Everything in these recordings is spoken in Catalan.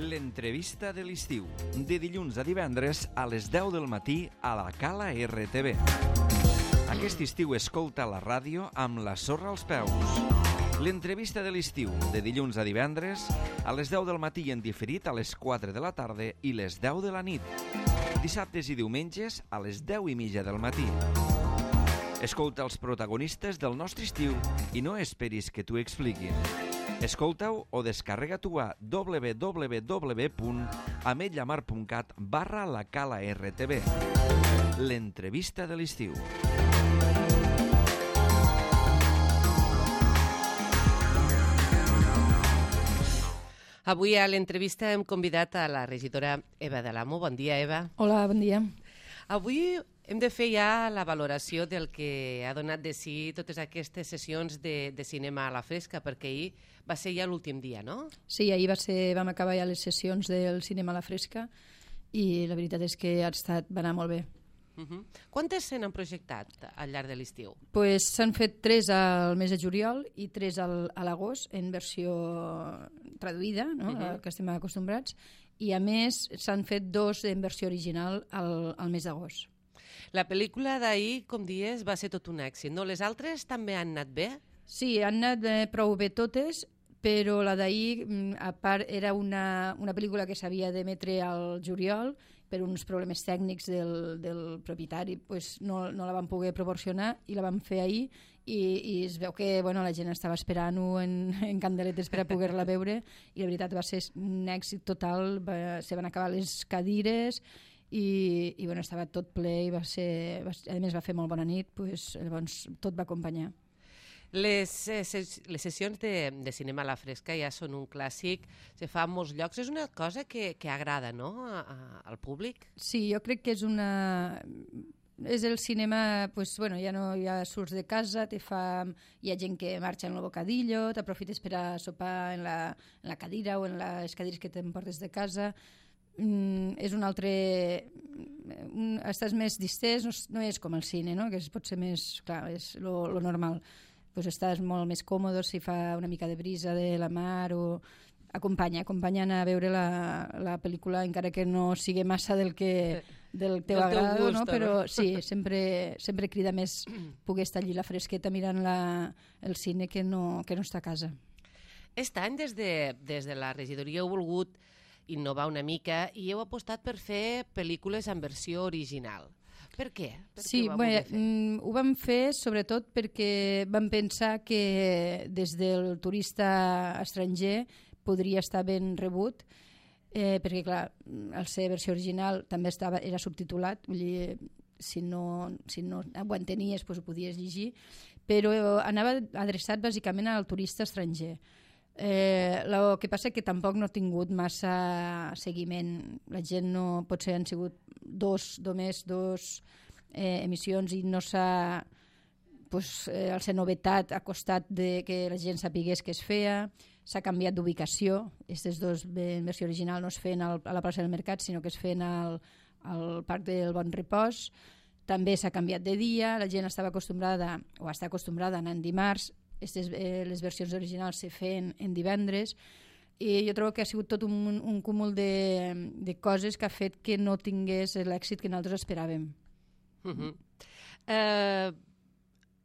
L'entrevista de l'estiu, de dilluns a divendres a les 10 del matí a la Cala RTV. Aquest estiu escolta la ràdio amb la sorra als peus. L'entrevista de l'estiu, de dilluns a divendres a les 10 del matí en diferit a les 4 de la tarda i les 10 de la nit. Dissabtes i diumenges a les 10:30 del matí. Escolta els protagonistes del nostre estiu i no esperis que t'ho expliquin. Escolta-ho o descarrega-t'ho a www.ametlllamar.cat/la Cala RTV. L'entrevista de l'estiu. Avui a l'entrevista hem convidat a la regidora Eva de l'Amo. Bon dia, Eva. Hola, bon dia. Avui hem de fer ja la valoració del que ha donat de si totes aquestes sessions de cinema a la fresca, perquè ahir va ser ja l'últim dia, no? Sí, ahir vam acabar ja les sessions del cinema a la fresca i la veritat és que va anar molt bé. Quantes se n'han projectat al llarg de l'estiu? Pues s'han fet 3 al mes de juliol i 3 a l'agost en versió traduïda, no? Que estem acostumbrats, i a més s'han fet 2 en versió original al mes d'agost. La pel·lícula d'ahir, com dius, va ser tot un èxit, no? Les altres també han anat bé? Sí, han anat prou bé totes, però la d'ahir, a part, era una pel·lícula que s'havia d'emetre al juliol, per uns problemes tècnics del propietari, pues no la vam poder proporcionar i la vam fer ahir i es veu que la gent estava esperant-ho en candeletes per a poder-la veure i la veritat va ser un èxit total, se van acabar les cadires i estava tot ple i a més va fer molt bona nit, llavors tot va acompanyar. Les sessions de cinema a la fresca ja són un clàssic, se fa en molts llocs, és una cosa que agrada, no?, al públic? Sí, jo crec que és el cinema, ja surts de casa, hi ha gent que marxa en el bocadillo, t'aprofites per a sopar en la cadira o en les cadires que t'emportes de casa. És un altre... estàs més distès, no és com el cine, no?, que pot ser més... Clar, és lo normal. Estàs molt més còmode si fa una mica de brisa de la mar o acompanyen a veure la pel·lícula encara que no sigui massa del teu agrado, no? Però sí, sempre crida més poder estar allí a la fresqueta mirant el cine que no estar a casa. Aquest any des de la regidoria heu volgut innovar una mica i heu apostat per fer pel·lícules en versió original. Per què? Sí, ho vam fer sobretot perquè vam pensar que des del turista estranger podria estar ben rebut, perquè clar, al ser versió original també era subtitulat, vull dir, si no ho entenies ho podies llegir, però anava adreçat bàsicament al turista estranger. El que passa és que tampoc no ha tingut massa seguiment. La gent potser han sigut només dos emissions i no s'ha al ser novetat ha costat que la gent sapigués que es feia, s'ha canviat d'ubicació, aquestes 2 en versió original no es feien a la plaça del Mercat sinó que es feien al Parc del Bon Repòs, també s'ha canviat de dia, la gent estava acostumbrada o està acostumbrada a anar en dimarts, les versions originals se feien en divendres i jo trobo que ha sigut tot un cúmul de coses que ha fet que no tingués l'èxit que nosaltres esperàvem.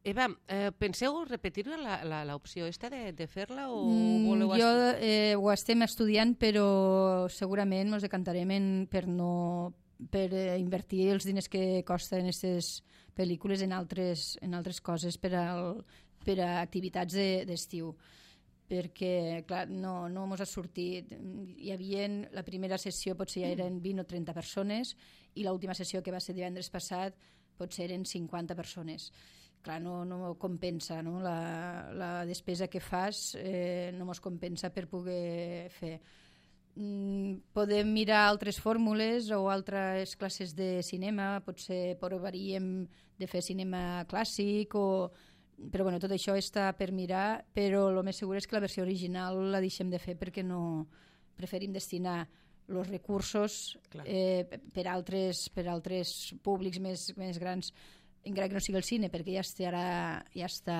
Eva, penseu repetir l'opció de fer-la o voleu... Ho estem estudiant però segurament ens decantarem per invertir els diners que costen aquestes pel·lícules en altres coses per a activitats d'estiu, perquè clar, no ens ha sortit. La primera sessió potser ja eren 20 o 30 persones i l'última sessió que va ser divendres passat potser eren 50 persones. Clar, no compensa, no? La despesa que fas no ens compensa per poder fer. Podem mirar altres fórmules o altres classes de cinema, potser provaríem de fer cinema clàssic però tot això està per mirar, però el més segur és que la versió original la deixem de fer perquè no preferim destinar els recursos per altres públics més grans, encara que no sigui el cine, perquè ja està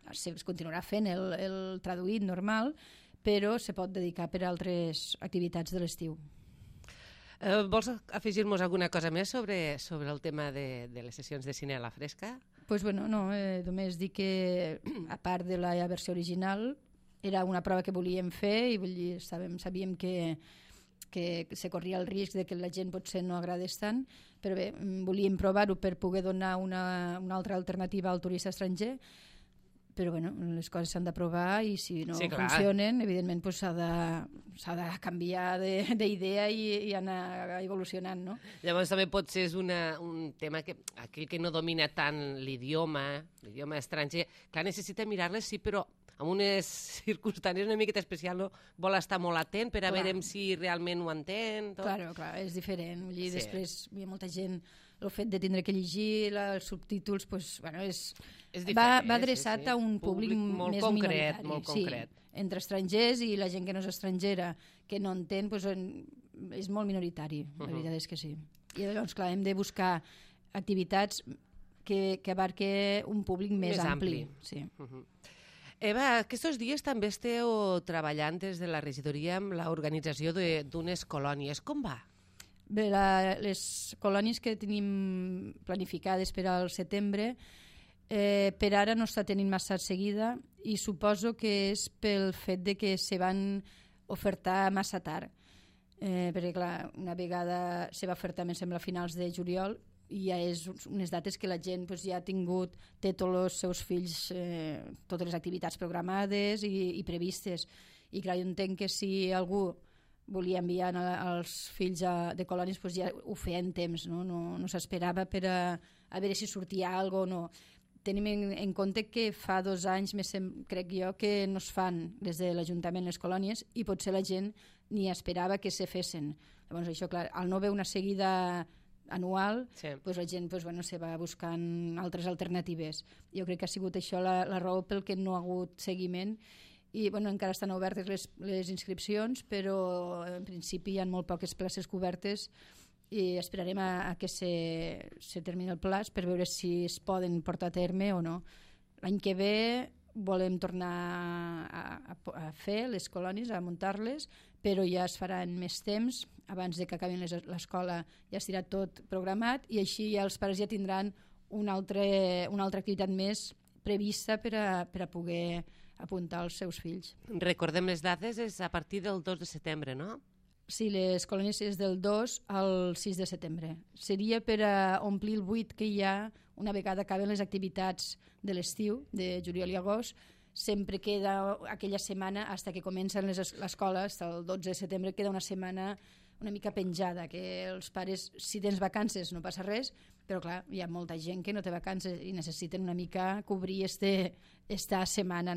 es continuarà fent el traduït normal, però se pot dedicar per a altres activitats de l'estiu. Vols afegir-nos alguna cosa més sobre el tema de les sessions de cine a la fresca? Pues bueno, no, només dir que a part de la versió original era una prova que volíem fer i sabíem que se corria el risc de que la gent potser no agradés tant, però bé, volíem provar-ho per poder donar una altra alternativa al turista estranger, però bueno, les coses s'han de provar i si no funcionen, evidentment pues, s'ha de canviar d'idea i anar evolucionant, no? Llavors també potser és un tema que aquell que no domina tant l'idioma estranger, clar, necessita mirar-les, sí, però en unes circumstàncies una miqueta especials, no? Vol estar molt atent per a veure si realment ho entén. Tot. Clar, és diferent. Sí. Després hi ha molta gent, el fet de tindre que llegir els subtítols, pues, bueno, va adreçat a un públic molt més concret, minoritari. molt concret. Entre estrangers i la gent que no és estrangera, que no entén, pues, és molt minoritari, la veritat és que sí. I llavors, clar, hem de buscar activitats que abarque un públic més ampli. Sí. Eva, aquests dies també esteu treballant des de la regidoria amb l'organització d'unes colònies. Com va? Bé, les colònies que tenim planificades per al setembre per ara no està tenint massa seguida i suposo que és pel fet de que se van ofertar massa tard. Perquè, clar, una vegada se va ofertar, em sembla, a finals de juliol, i ja és unes dates que la gent pues, ja té tots els seus fills totes les activitats programades i previstes. I clar, jo entenc que si algú volia enviar els fills de colònies pues, ja ho feia en temps, no s'esperava per a veure si sortia alguna cosa o no. Tenim en compte que fa 2 anys, crec jo, que no es fan des de l'Ajuntament les colònies i potser la gent ni esperava que se fessin. Llavors això, clar, al no haver una seguida anual, pues la gent se va buscant altres alternatives. Jo crec que ha sigut això la raó pel que no ha hagut seguiment i encara estan obertes les inscripcions, però en principi hi ha molt poques places cobertes i esperarem a que se termini el plaç per veure si es poden portar a terme o no. L'any que ve volem tornar a fer les colònies, a muntar-les, però ja es farà en més temps, abans de que acabin l'escola ja estarà tot programat i així ja els pares ja tindran una altra activitat més prevista per a poder apuntar els seus fills. Recordem les dates, és a partir del 2 de setembre, no? Sí, les colònies és del 2 al 6 de setembre. Seria per a omplir el buit que hi ha una vegada acaben les activitats de l'estiu, de juliol i agost. Sempre queda aquella setmana, fins que comencen l'escola, fins el 12 de setembre, queda una setmana una mica penjada, que els pares, si tens vacances no passa res, però clar, hi ha molta gent que no té vacances i necessiten una mica cobrir esta setmana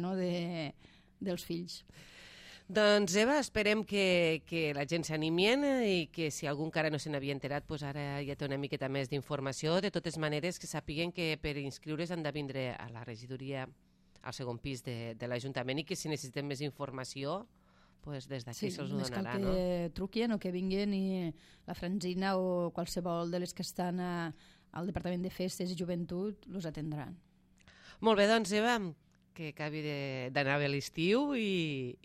dels fills. Doncs Eva, esperem que la gent s'animien i que si algú encara no se n'havia enterat, doncs ara ja té una miqueta més d'informació. De totes maneres, que sàpiguen que per inscriure's han de vindre a la regidoria al segon pis de l'Ajuntament i que si necessiten més informació, pues des d'aquí se'ls ho donarà. Sí, només cal que truquin o que vinguin i la Franzina o qualsevol de les que estan al Departament de Festes i Joventut els atendran. Molt bé, doncs Eva, que acabi d'anar bé l'estiu i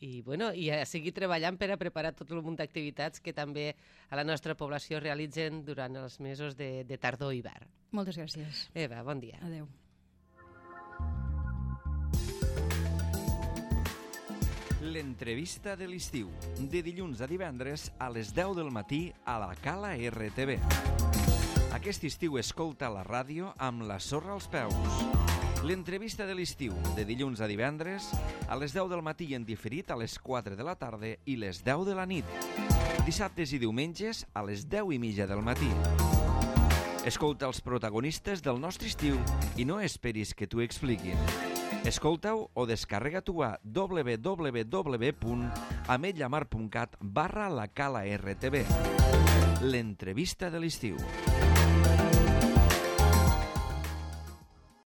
a seguir treballant per a preparar tot el munt d'activitats que també a la nostra població realitzen durant els mesos de tardor i hivern. Moltes gràcies. Eva, bon dia. Adéu. L'entrevista de l'estiu, de dilluns a divendres a les 10 del matí a la Cala RTV. Aquest estiu escolta la ràdio amb la sorra als peus. L'entrevista de l'estiu, de dilluns a divendres a les 10 del matí en diferit a les 4 de la tarda i les 10 de la nit. Dissabtes i diumenges a les 10:30 del matí. Escolta els protagonistes del nostre estiu i no esperis que t'ho expliquin. Escolta-ho o descarrega-t'ho a www.ametlllamar.cat/la Cala RTV. L'entrevista de l'estiu.